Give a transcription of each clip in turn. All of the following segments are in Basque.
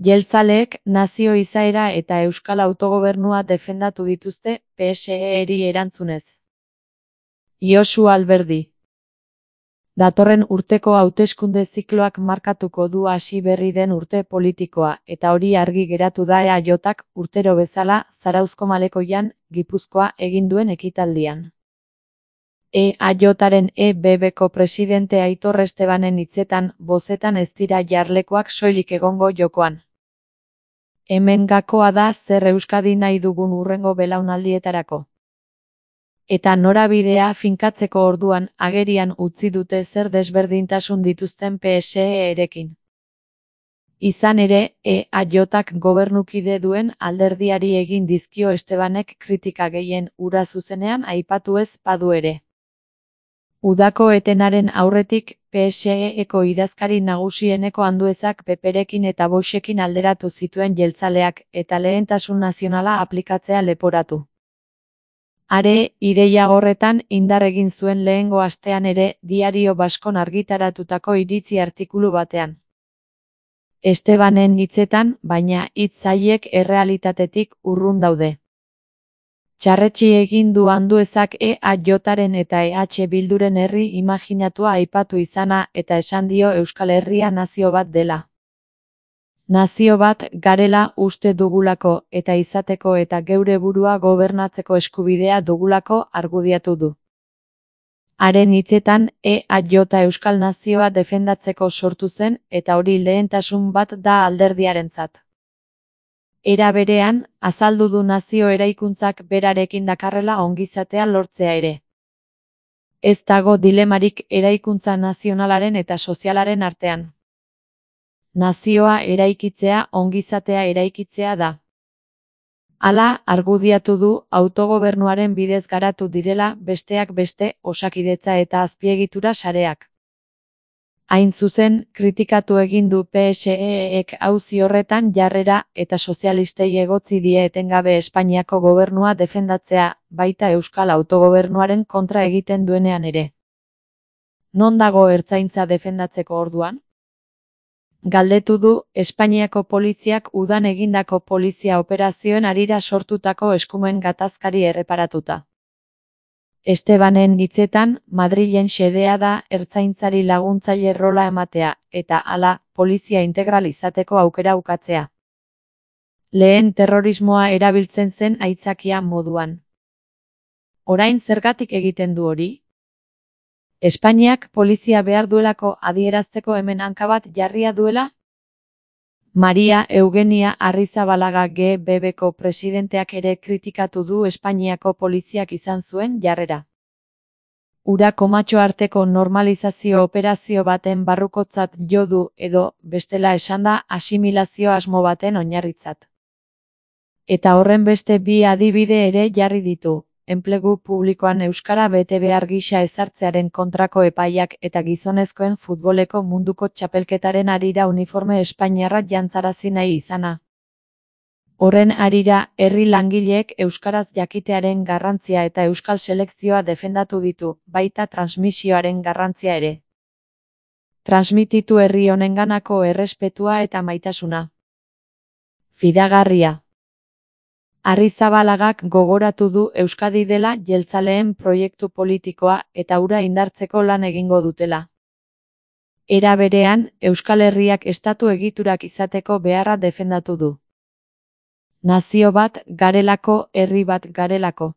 Jeltzaleek nazio izaera eta euskal autogobernua defendatu dituzte PSE-eri erantzunez. Josu Alberdi. Datorren urteko hauteskunde zikloak markatuko du hasi berri den urte politikoa, eta hori argi geratu da EAJak urtero bezala Zarauzko Malekoian, Gipuzkoa egin duen ekitaldian. EAJaren EBBko presidente Aitor Estebanen hitzetan, bozetan ez dira jarlekoak soilik egongo jokoan. Hemen gakoa da zer Euskadi nahi dugun hurrengo belaunaldietarako. Eta norabidea finkatzeko orduan agerian utzi dute zer desberdintasun dituzten PSE-erekin. Izan ere, EAJak gobernukide duen alderdiari egin dizkio Estebanek kritika gehien hura zuzenean aipatu ez badu ere. Udako etenaren aurretik, PSE-eko idazkari nagusieneko Anduezak Peperekin eta Voxekin alderatu zituen jeltzaleak, eta lehentasun nazionala aplikatzea leporatu. Are, ideia horretan indar egin zuen lehengo astean ere, Diario Baskon argitaratutako iritzi artikulu batean. Estebanen hitzetan, baina hitz haiek errealitatetik urrun daude. Txarretsi egin du Anduezak EAJaren eta EH Bilduren herri imaginatua aipatu izana eta esan dio Euskal Herria nazio bat dela. Nazio bat garela uste dugulako eta izateko eta geure burua gobernatzeko eskubidea dugulako argudiatu du. Haren hitzetan, EAJ Euskal Nazioa defendatzeko sortu zen eta hori lehentasun bat da alderdiarentzat. Era berean, azaldu du nazio eraikuntzak berarekin dakarrela ongizatea lortzea ere. Ez dago dilemarik eraikuntza nazionalaren eta sozialaren artean. Nazioa eraikitzea ongizatea eraikitzea da. Hala, argudiatu du autogobernuaren bidez garatu direla besteak beste osakidetza eta azpiegitura sareak. Hain zuzen, kritikatu egin du PSE-ek auzi horretan jarrera eta sozialistei egotzi die etengabe Espainiako gobernua defendatzea, baita euskal autogobernuaren kontra egiten duenean ere. Non dago ertzaintza defendatzeko orduan? Galdetu du Espainiako poliziak udan egindako polizia operazioen harira sortutako eskumen gatazkari erreparatuta. Estebanen hitzetan, Madrilen xedea da ertzaintzari laguntzaile rola ematea, eta hala, polizia integral izateko aukera ukatzea. Lehen terrorismoa erabiltzen zen aitzakia moduan. Orain zergatik egiten du hori? Espainiak polizia behar duelako adierazteko hemen hanka bat jarria duela? Maria Eugenia Arrizabalaga GBBko presidenteak ere kritikatu du Espainiako poliziak izan zuen jarrera. Ura komatxo arteko normalizazio operazio baten barrukotzat jo du edo, bestela esanda, asimilazio asmo baten oinarritzat. Eta horren beste bi adibide ere jarri ditu. Enplegu publikoan euskara bete behar gisa ezartzearen kontrako epaiak eta gizonezkoen futboleko munduko txapelketaren harira uniforme espainiarra jantzarazi nahi izana. Horren harira, herri langileek euskaraz jakitearen garrantzia eta euskal selekzioa defendatu ditu, baita transmisioaren garrantzia ere. Transmititu herri honenganako errespetua eta maitasuna. Fidagarria. Arrizabalagak gogoratu du Euskadi dela jeltzaleen proiektu politikoa eta hura indartzeko lan egingo dutela. Era berean, Euskal Herriak estatu egiturak izateko beharra defendatu du. Nazio bat garelako, herri bat garelako.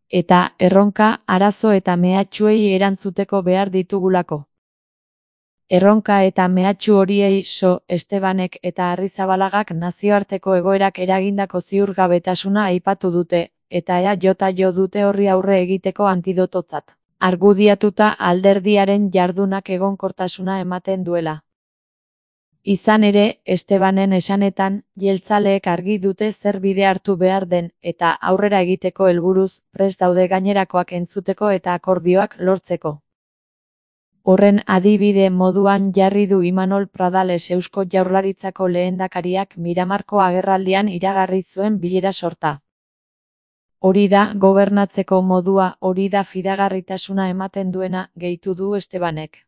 Eta erronka, arazo eta mehatxuei erantzuteko behar ditugulako. Erronka eta mehatxu horiei Estebanek eta Arrizabalagak nazioarteko egoerak eragindako ziurgabetasuna aipatu dute, eta EAJ jo dute horri aurre egiteko antidototzat. Argudiatuta alderdiaren jardunak egonkortasuna ematen duela. Izan ere, Estebanen esanetan, jeltzaleek argi dute zer bide hartu behar den, eta aurrera egiteko helburuz, prest daude gainerakoak entzuteko eta akordioak lortzeko. Horren adibide moduan jarri du Imanol Pradales Eusko Jaurlaritzako lehendakariak Miramarko agerraldian iragarri zuen bilera sorta. Hori da gobernatzeko modua, hori da fidagarritasuna ematen duena, gehitu du Estebanek.